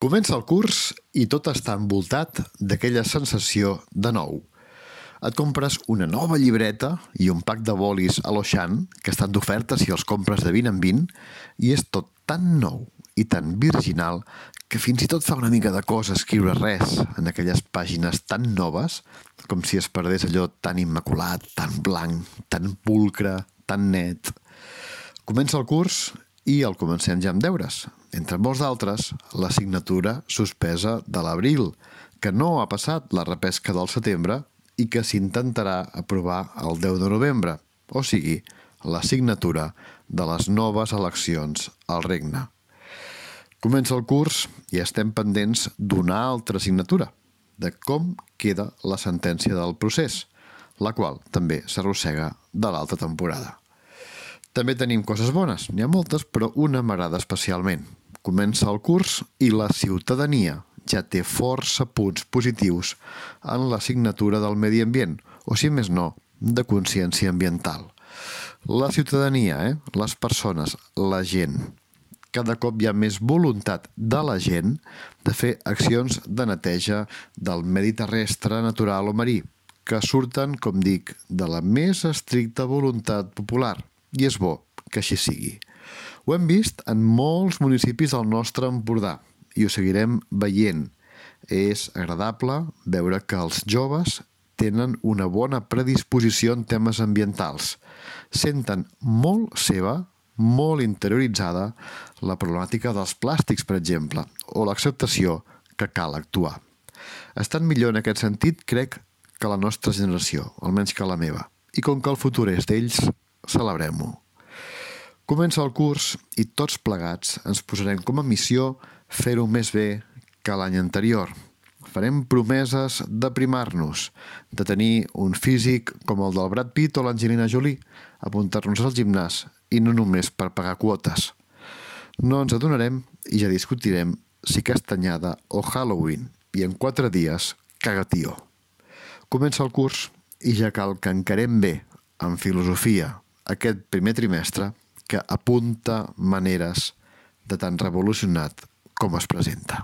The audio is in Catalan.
Comença el curs i tot està envoltat d'aquella sensació de nou. Et compres una nova llibreta i un pack de bolis a l'Auchan, que estan d'oferta si els compres de 20 en 20, i és tot tan nou i tan virginal que fins i tot fa una mica de cosa escriure res en aquelles pàgines tan noves, com si es perdés allò tan immaculat, tan blanc, tan pulcre, tan net. Comença el curs i el comencem ja amb deures. Entre molts d'altres, l'assignatura suspesa de l'abril, que no ha passat la repesca del setembre i que s'intentarà aprovar el 10 de novembre, o sigui, l'assignatura de les noves eleccions al regne. Comença el curs i estem pendents d'una altra assignatura, de com queda la sentència del procés, la qual també s'arrossega de l'altra temporada. També tenim coses bones, n'hi ha moltes, però una m'agrada especialment. Comença el curs i la ciutadania ja té força punts positius en l'assignatura del medi ambient, o si més no, de consciència ambiental. La ciutadania, les persones, la gent. Cada cop hi ha més voluntat de la gent de fer accions de neteja del medi terrestre, natural o marí, que surten, com dic, de la més estricta voluntat popular. I és bo que així sigui. Ho hem vist en molts municipis del nostre Empordà i ho seguirem veient. És agradable veure que els joves tenen una bona predisposició en temes ambientals. Senten molt seva, molt interioritzada, la problemàtica dels plàstics, per exemple, o l'acceptació que cal actuar. Estan millor en aquest sentit, crec, que la nostra generació, almenys que la meva. I com que el futur és d'ells, celebrem-ho. Comença el curs i tots plegats ens posarem com a missió fer-ho més bé que l'any anterior. Farem promeses d'aprimar-nos, de tenir un físic com el del Brad Pitt o l'Angelina Jolie, apuntar-nos al gimnàs i no només per pagar quotes. No ens adonarem i ja discutirem si Castanyada o Halloween i en 4 dies caga-tió. Comença el curs i ja cal que encarem bé, amb filosofia, aquest primer trimestre que apunta maneres de tan revolucionat com es presenta.